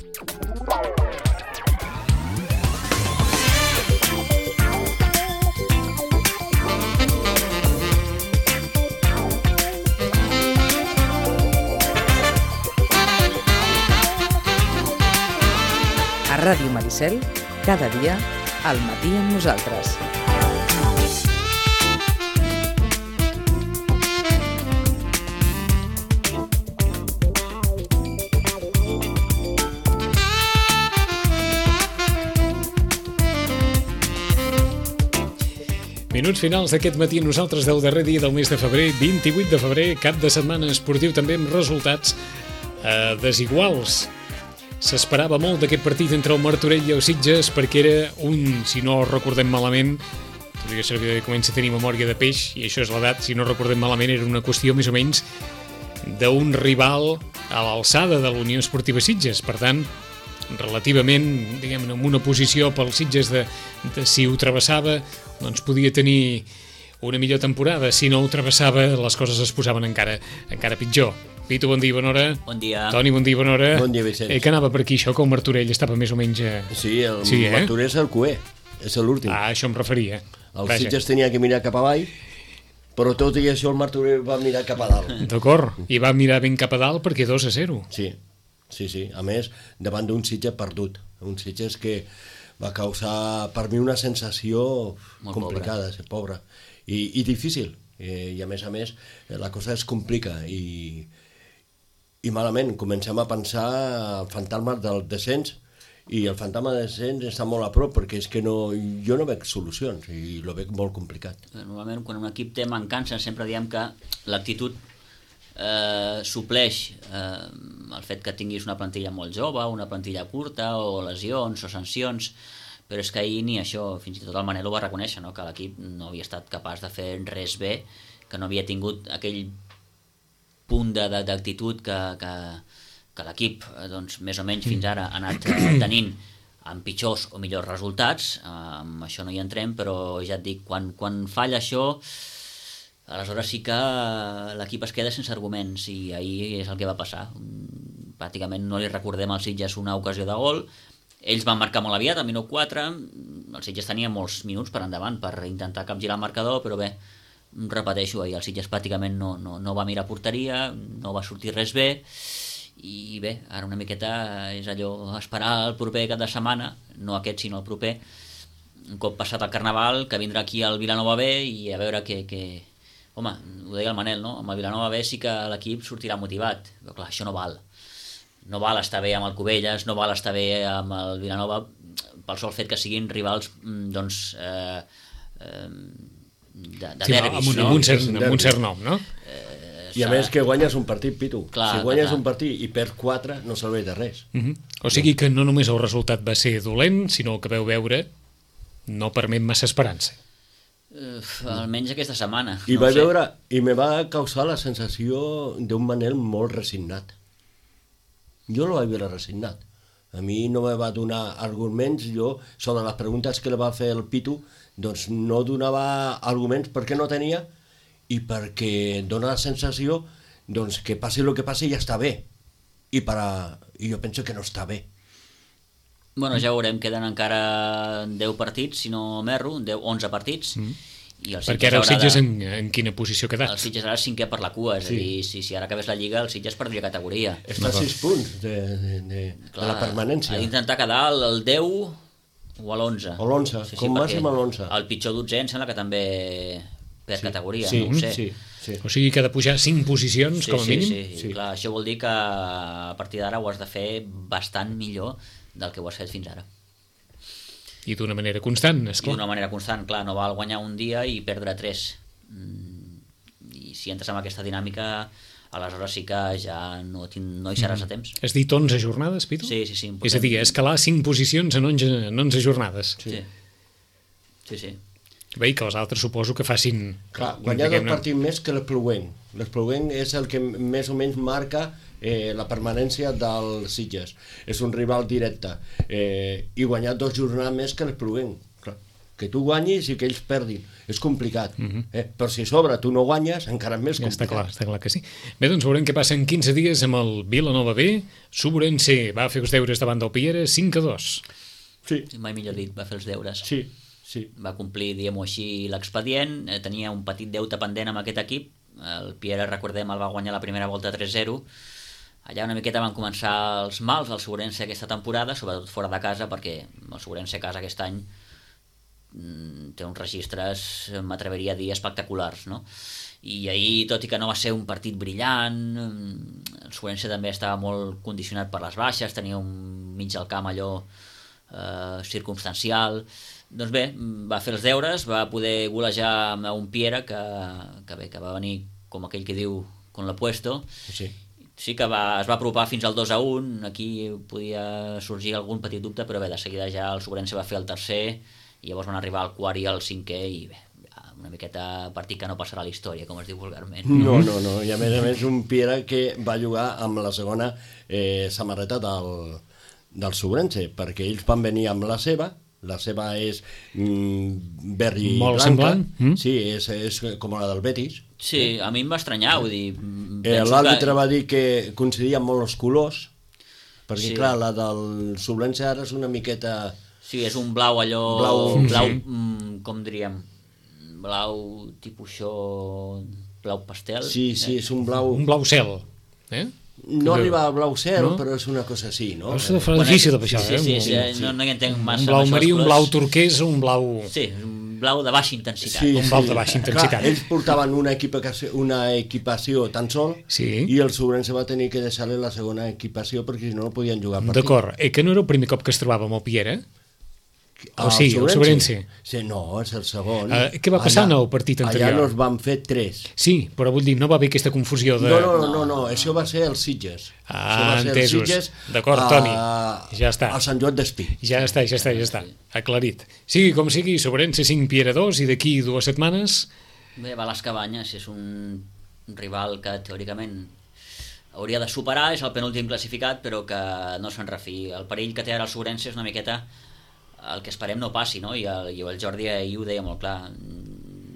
A Ràdio Maricel, cada dia, al matí amb nosaltres. Minuts finals d'aquest matí amb nosaltres del darrer dia del mes de febrer, 28 de febrer, cap de setmana esportiu també amb resultats desiguals. S'esperava molt d'aquest partit entre el Martorell i el Sitges perquè era un, si no recordem malament, podria servir que comença a tenir memòria de peix, i això és l'edat, si no recordem malament, era una qüestió més o menys d'un rival a l'alçada de l'Unió Esportiva Sitges. Per tant, relativament, diguem-ne, en una posició pel Sitges de si ho travessava, doncs podia tenir una millor temporada. Si no ho travessava, les coses es posaven encara pitjor. Pitu, bon dia, bona hora. Bon dia. Toni, bon dia, bona hora. Bon dia, Vicenç. Que anava per aquí, això, que el Martorell estava més o menys... Sí, Martorell és el cué, és l'últim. Ah, això em referia. El Sitges tenia que mirar cap avall, però tot i això el Martorell va mirar cap a dalt. D'acord, i va mirar ben cap a dalt perquè 2-0. Sí. A més, davant d'un Sitges perdut. Un Sitges que va causar per mi una sensació molt complicada, pobra i difícil. I a més, la cosa es complica i malament. Comencem a pensar el fantasma del descens, i el fantasma del descens està molt a prop perquè és que jo no veig solucions i lo veig molt complicat. Normalment quan un equip té mancances sempre diem que l'actitud supleix el fet que tinguis una plantilla molt jove, una plantilla curta, o lesions o sancions, però és que ahir ni això, fins i tot el Manel ho va reconèixer, no? Que l'equip no havia estat capaç de fer res bé, que no havia tingut aquell punt d'actitud que l'equip, doncs, més o menys fins ara ha anat tenint amb pitjors o millors resultats. Amb això no hi entrem, però ja et dic, quan falla això, aleshores sí que l'equip es queda sense arguments, i ahir és el que va passar. Pràcticament no li recordem al Sitges una ocasió de gol. Ells van marcar molt aviat, al minut 4, el Sitges tenia molts minuts per endavant per intentar capgirar el marcador, però bé, repeteixo, ahir el Sitges pràcticament no va mirar porteria, no va sortir res bé, i bé, ara una miqueta és allò, esperar el proper cap de setmana, no aquest sinó el proper, un cop passat el Carnaval, que vindrà aquí al Vilanova B, i a veure que home, ho deia el Manel, no? Amb el Vilanova B sí que l'equip sortirà motivat, però clar, això no val estar bé amb el Cubelles, no val estar bé amb el Vilanova pel sol fet que siguin rivals doncs de derbis, no? Amb un cert nom, no? I a més que guanyes un partit, Pitu. Clar, si guanyes un partit i perds 4 no serveix de res. O sigui que no només el resultat va ser dolent, sinó el que veu veure no permet massa esperança. Almenys aquesta setmana. I vaig veure, i me va causar la sensació d'un Manel molt resignat. Jo no vaig veure resignat. A mi no me va donar arguments, jo, sobre les preguntes que li va fer el Pitu, doncs no donava arguments perquè no tenia, i perquè dona la sensació doncs, que passi el que passi ja està bé. I jo penso que no està bé. Bueno, ja veurem, queden encara 10 partits, si no m'erro, 11 partits. I perquè ara el Sitges en quina posició ha quedat? El Sitges ara és 5è per la cua, és a dir, si ara acabés la Lliga, el Sitges perdria categoria. Està a 6 punts de la permanència. Ha d'intentar quedar al 10 o a l'11. O l'11, com màxim a l'11. El pitjor 12 em sembla que també per categoria, no ho sé. Sí. O sigui que ha de pujar 5 posicions, com a mínim? Sí. Clar, això vol dir que a partir d'ara ho has de fer bastant millor del que ho has fet fins ara. I d'una manera constant, esclar. I d'una manera constant, clar, no val guanyar un dia i perdre 3. I si entres en aquesta dinàmica, aleshores sí que ja no hi seràs a temps. Has dit 11 jornades, Pitu? Sí. És a dir, escalar 5 posicions en 11 jornades. Sí. Bé, i que els altres suposo que facin... Clar, guanyar el partit més que l'Espluguenc. L'Espluguenc és el que més o menys marca la permanència del Sitges. És un rival directe. I guanyar 2 jornades més que l'Espluguenc. que tu guanyis i que ells perdin. És complicat. Però si a sobre tu no guanyes, encara és més complicat. Està clar que sí. Bé, doncs veurem què passa en 15 dies amb el Vilanova B. Subrense va fer els deures davant del Piera, 5-2. Sí. Mai millor dit, va fer els deures. Sí. Va complir, diguem-ho així, l'expedient. Tenia un petit deute pendent amb aquest equip. El Piera, recordem, el va guanyar la primera volta 3-0. Allà una miqueta van començar els mals al Segurense aquesta temporada, sobretot fora de casa, perquè el Segurense a casa aquest any té uns registres, m'atreveria a dir, espectaculars, no? I ahir, tot i que no va ser un partit brillant, el Segurense també estava molt condicionat per les baixes, tenia un mig del camp allò circumstancial. Doncs bé, va fer els deures, va poder golejar amb un Piera que va venir, com aquell que diu, con lo puesto. Sí que es va apropar fins al 2-1, aquí podia sorgir algun petit dubte, però bé, de seguida ja el Segurense va fer el tercer, i llavors van arribar al quart i al cinquè, i bé, una miqueta partit que no passarà a la història, com es diu vulgarment. No, i a més un Piera que va jugar amb la segona samarreta del Segurense, perquè ells van venir amb la seva és verd i molt blanca. semblant. Sí, és com la del Betis. Sí, a mi em va estranyar, vull dir... L'àrbitre va dir que coincidien molt els colors, perquè clar, la del Segurense ara és una miqueta... Sí, és un blau allò... Blau, com diríem? Blau tipus això... Blau pastel? Sí, és un blau... Un blau cel, No arriba al blau cel, però és una cosa així, no? És difícil de baixar, Sí, no hi entenc massa. Un blau marí, un blau turquès, un blau... Sí, un blau de baixa intensitat. Sí. Un blau de baixa intensitat. Clar, ells portaven una equipació tan sol, i el Segurense va tenir que deixar-li la segona equipació perquè si no podien jugar partit. D'acord, que no era el primer cop que es trobava amb el Piera? O sigui, el Segurense? Sí, no, és el segon. Què va passar en el partit anterior? Allà nos van fer 3. Sí, però vull dir, no va haver aquesta confusió de... No, això va ser el Sitges. Entesos. D'acord, Toni, ja està. A Sant Joan d'Espí. Ja està, aclarit. Sigui com sigui, Segurense 5, Piera 2, i d'aquí 2 setmanes... Bé, va a les Cabanyes, és un rival que teòricament hauria de superar, és el penúltim classificat, però que no se'n refi. El perill que té ara el Segurense és una miqueta el que esperem no passi, no? I el Jordi ahir ho deia molt clar.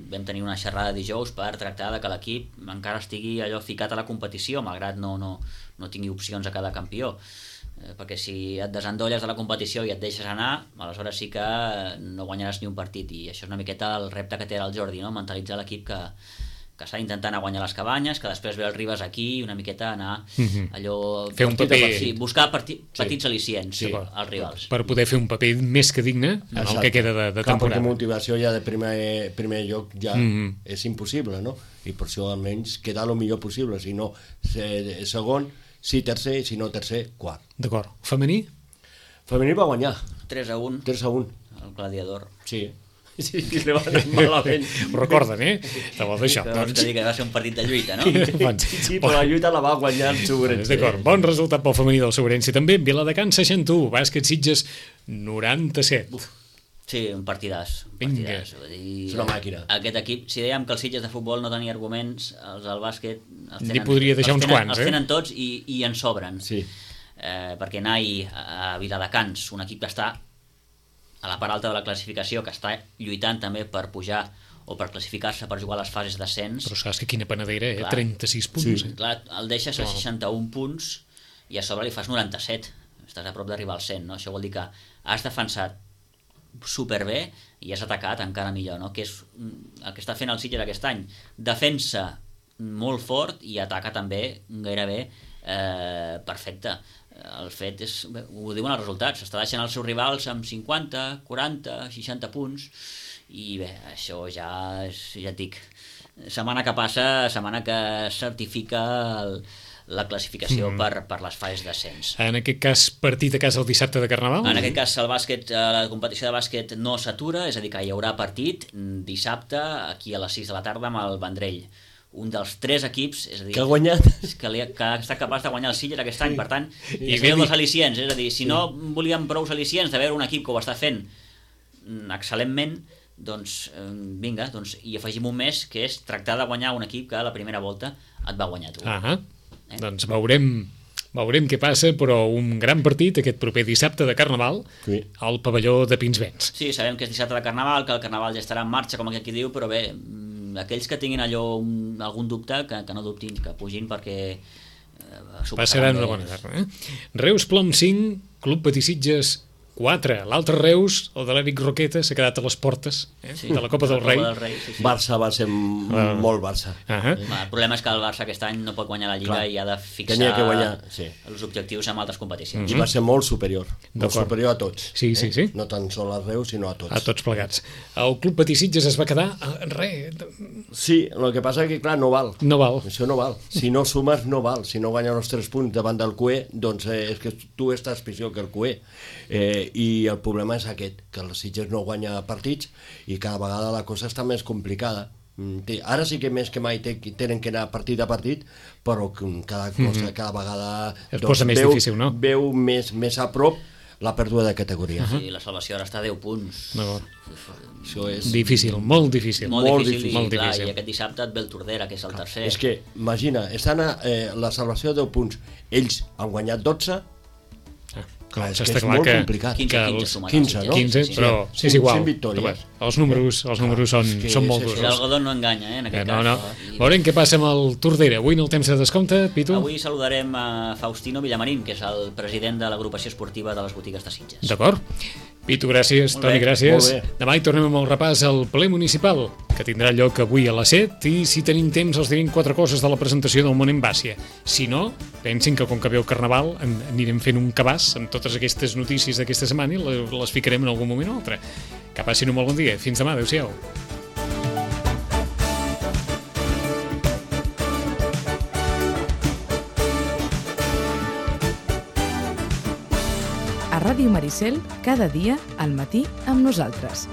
Vam tenir una xerrada dijous per tractar de que l'equip encara estigui allò ficat a la competició, malgrat no tingui opcions a cada campió, perquè si et desendolles de la competició i et deixes anar, aleshores sí que no guanyaràs ni un partit, i això és una miqueta el repte que té el Jordi, no? Mentalitzar l'equip que està intentant guanyar les Cabanyes, que després ve el Ribes aquí, una miqueta anar allò... Fer un paper... Buscar petits al·licients als rivals. Per poder fer un paper més que digne en el que queda de temporada. Perquè motivació ja de primer lloc ja és impossible, no? I per això almenys quedar el millor possible, si no segon, si tercer, si no tercer, quart. D'acord. Femení? Femení va guanyar. 3-1. 3-1. El Gladiador. Sí, li va anar malament. Ho recorden, de vol d'això. Vols dir que va ser un partit de lluita, no? Sí, però la lluita la va guanyar el Segurense. D'acord, bon resultat pel femení del Segurense. També Viladecans 61, Bàsquet Sitges 97. Sí, un partidàs. Vinga. És una màquina. Aquest equip, si dèiem que els Sitges de futbol no tenia arguments, els del bàsquet n'hi podria deixar uns quants, els tenen tots i en sobren. Sí. Perquè anar a Viladecans, un equip que està a la part alta de la classificació, que està lluitant també per pujar o per classificar-se per jugar a les fases d'ascens. Però saps que quina panadera, 36 punts. Sí. Clar, el deixes a 61 punts i a sobre li fas 97. Estàs a prop d'arribar al 100, no? Això vol dir que has defensat superbé i has atacat encara millor, no? Que és el que està fent el Sitges aquest any. Defensa molt fort i ataca també gairebé perfecte. El fet és, ho diuen els resultats, s'està deixant els seus rivals amb 50, 40, 60 punts, i bé, això ja et dic, setmana que passa, setmana que certifica la classificació per les fases d'ascens. En aquest cas, partit a casa el dissabte de Carnaval? En aquest cas, el bàsquet, la competició de bàsquet no s'atura, és a dir, que hi haurà partit dissabte aquí a les 6 de la tarda amb el Vendrell. Un dels 3 equips, és a dir, que ha guanyat, que ha estat capaç de guanyar el Sitges aquest any, per tant, és dels al·licients, és a dir, si no volíem prou al·licients de veure un equip que ho està fent excel·lentment, doncs vinga, i afegim un més, que és tractar de guanyar un equip que a la primera volta et va guanyar tu. Doncs veurem Veurem què passa, però un gran partit aquest proper dissabte de Carnaval al pavelló de Pinsbens. Sí, sabem que és dissabte de Carnaval, que el Carnaval ja estarà en marxa, com aquí diu, però bé, aquells que tinguin algun dubte, que no dubtin, que pugin perquè passaran una bona tarda. Reus Plom 5, Club Patissitges 4. L'altre Reus, el de l'Eric Roqueta, s'ha quedat a les portes de la Copa del Rei. Barça va ser molt Barça. El problema és que el Barça aquest any no pot guanyar la Lliga i ha de fixar els objectius en altres competicions. I va ser molt superior a tots. Sí. No tan sol al Reus, sinó a tots. A tots plegats. El Club Patissitges es va quedar Sí, el que passa és que, clar, no val. No val. Això no val. Si no sumes, no val. Si no guanyes els 3 punts davant del CUE, doncs és que tu estàs pitjor que el CUE. I el problema és aquest, que el Sitges no guanya partits i cada vegada la cosa està més complicada. Ara sí que més que mai tenen que anar partit a partit, però cada vegada es posa més difícil, no? Veu més a prop la pèrdua de categoria. Sí, la salvació ara està a 10 punts. Això és difícil, molt difícil. Molt difícil. I aquest dissabte et ve el Tordera, que és el tercer. És que, imagina, estan la salvació a 10 punts. Ells han guanyat 12. Clar, és que és molt complicat. 15, no? 15, però és igual. Els números són molt durs. L'algodó no enganya, en aquest cas. Veurem què passa amb el Tordera. Avui en el temps de descompte, Pitu? Avui saludarem a Faustino Villamarín, que és el president de l'agrupació esportiva de les botigues de Sitges. D'acord. Pitu, gràcies. Toni, gràcies. Demà hi tornem amb el repàs al ple municipal, que tindrà lloc avui a les 7, i si tenim temps els direm 4 coses de la presentació del Món en Bàcia. Si no, pensin que com que ve el Carnaval anirem fent un cabàs amb totes aquestes notícies d'aquesta setmana i les ficarem en algun moment o altre. Que passin un molt bon dia. Fins demà. Adéu-siau. A Ràdio Maricel, cada dia al matí amb nosaltres.